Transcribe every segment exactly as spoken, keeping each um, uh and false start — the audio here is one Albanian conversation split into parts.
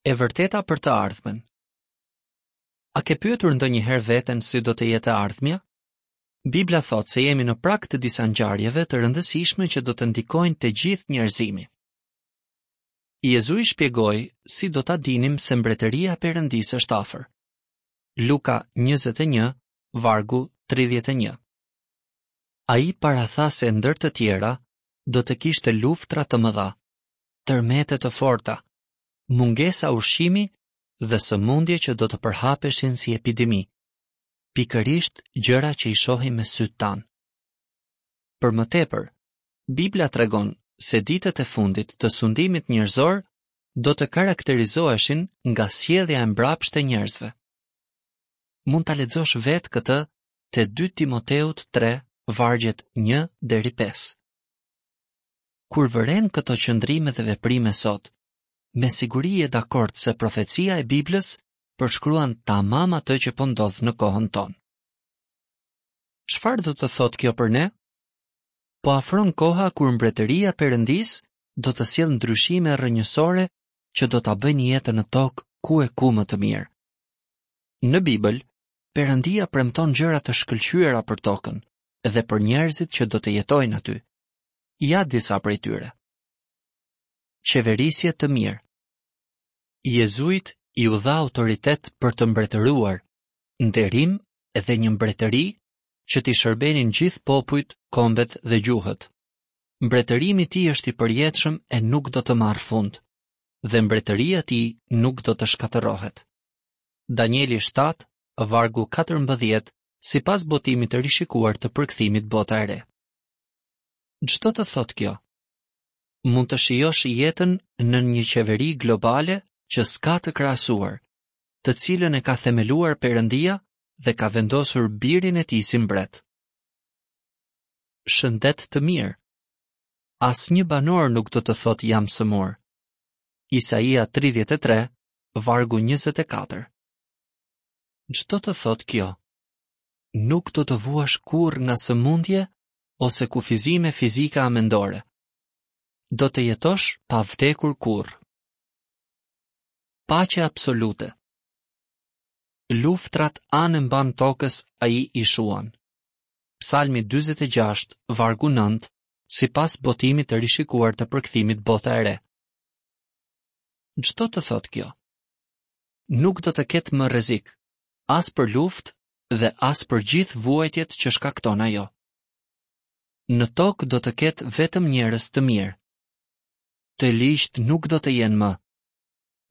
E vërteta për të ardhmen. A ke pyetur ndonjëherë veten si do të jetë e ardhmja? Bibla thotë se jemi në prag të disa ngjarjeve të rëndësishme që do të ndikojnë të gjithë njerëzimi. Jezui shpjegoi si do ta dinim se mbretëria e Perëndisë është afër. Luka njëzet e një, vargu tridhjetë e një. Ai paratha se ndër të tjera do të kishte luftra të mëdha, tërmete të forta, mungesa ushqimi dhe sëmundje që do të përhapeshin si epidemi, pikërisht gjëra që i shohim me sytë tanë. Për më tepër, Bibla tregon se ditët e fundit të sundimit njerëzor do të karakterizoheshin nga sjellja e mbrapshtë e njerëzve. Mund ta lexosh vetë këtë te dy Timoteut tre, vargjet një deri pesë. Kur vëren këto qëndrime dhe veprime sot, me siguri je dakord se profecia e Biblës përshkruan tamam atë që po ndodh në kohën tonë. Çfarë do të thotë kjo për ne? Po afron koha kur mbretëria e Perëndisë do të sjellë ndryshime rrënjësore që do ta bëjnë jetën në tokë ku e ku më të mirë. Në Bibël, Perëndia premton gjëra të shkëlqyera për tokën dhe për njerëzit që do të jetojnë aty. Ja disa prej tyre. Qeverisje të mirë. Jezuit iu dha autoritet për të mbretëruar, nderim dhe një mbretëri që t'i shërbenin gjithë popujt, kombet dhe gjuhët. Mbretërimi i tij është i përjetshëm e nuk do të marrë fund, dhe mbretëria e tij nuk do të shkatërrohet. Danieli shtatë, vargu katërmbëdhjetë, sipas botimit të rishikuar të përkthimit Bota e Re. Ç'do të thotë kjo? Mund të shijosh jetën në një qeveri globale që s'ka të krahasuar, të cilën e ka themeluar Perëndia dhe ka vendosur birin e tij si mbret. Shëndet të mirë. Asnjë banor nuk do të thotë jam sëmur. Isaia tridhjetë e tre, vargu njëzet e katër. Ç'do të thotë kjo? Nuk do të vuash kurrë nga sëmundje ose kufizime fizike a mendore. Do të jetosh pa vdekur kurrë. Paqe absolute. Luftrat anë e mbanë tokës ai i shuan. Psalmi dyzet e gjashtë, vargu nëntë, sipas botimit të rishikuar të përkthimit Bota e Re. Ç'do të thotë kjo? Nuk do të ketë më rrezik, as për luftë dhe as për gjithë vuajtjet që shkakton ajo. Në tokë do të ketë vetëm njerëz të mirë. Të ligjtë nuk do të jenë më.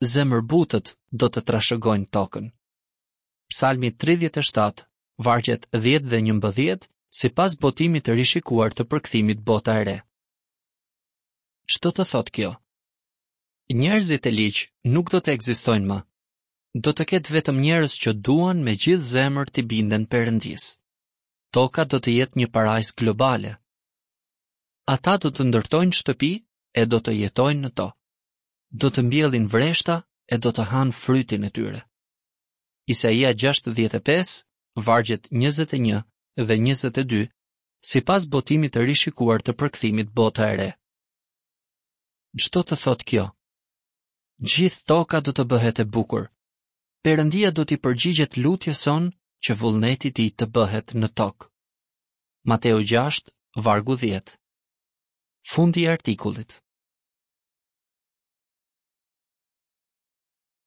Zemërbutët do të trashëgojnë tokën. Psalmi tridhjetë e shtatë, vargjet dhjetë dhe njëmbëdhjetë, sipas botimit të rishikuar të përkthimit Bota e Re. Ç'do të thotë kjo? Njerëzit e ligj nuk do të ekzistojnë më. Do të ketë vetëm njerëz që duan me gjithë zemër t'i binden Perëndisë. Toka do të jetë një parajsë globale. Ata do të ndërtojnë shtëpi e do të jetojnë në to. Do të mbjellin vreshta e do të hanë frytin e tyre. Isaia gjashtëdhjetë e pesë, vargjet njëzet e një dhe njëzet e dy, sipas botimit të rishikuar të përkthimit Bota e Re. Ç'do të thotë kjo? Gjithë toka do të bëhet e bukur. Perëndia do t'i përgjigjet lutjes sonë që vullneti i tij të bëhet në tokë. Mateu gjashtë, vargu dhjetë. Fundi i artikullit.